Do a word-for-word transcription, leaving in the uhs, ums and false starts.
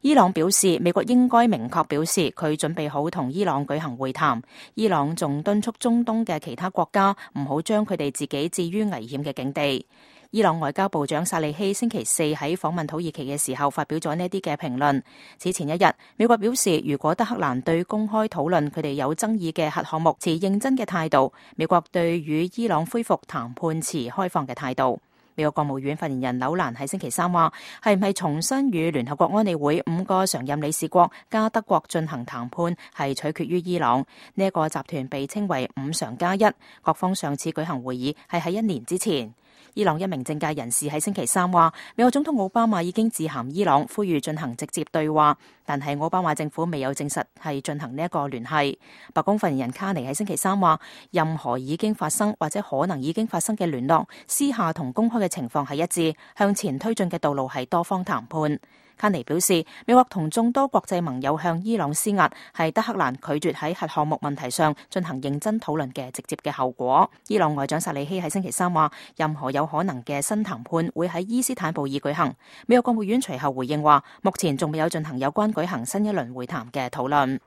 伊朗表示，美國應該明確表示佢準備好同伊朗舉行會談。伊朗仲敦促中東嘅其他國家唔好將佢哋自己置於危險嘅境地。伊朗外交部長薩利希星期四喺訪問土耳其嘅時候發表咗呢啲嘅評論。此前一日，美國表示，如果德黑蘭對公開討論佢哋有爭議嘅核項目持認真嘅態度，美國對與伊朗恢復談判持開放嘅態度。美國國務院發言人紐蘭喺星期三話，係唔係重新與聯合國安理會五個常任理事國加德國進行談判，係取決於伊朗。呢一個集團被稱為五常加一，各方上次舉行會議係喺一年之前。伊朗一名政界人士喺星期三話，美國總統奧巴馬已經致函伊朗，呼籲進行直接對話，但係奧巴馬政府未有證實係進行呢一個聯繫。白宮發言人卡尼喺星期三話，任何已經發生或者可能已經發生嘅聯絡，私下同公開嘅情況係一致，向前推進嘅道路係多方談判。卡尼表示，美國同眾多國際盟友向伊朗施壓，係德黑蘭拒絕喺核項目問題上進行認真討論嘅直接嘅後果。伊朗外長薩利希喺星期三話，任何有可能嘅新談判會喺伊斯坦布爾舉行。美國國務院隨後回應話，目前仲未有進行有關舉行新一輪會談嘅討論。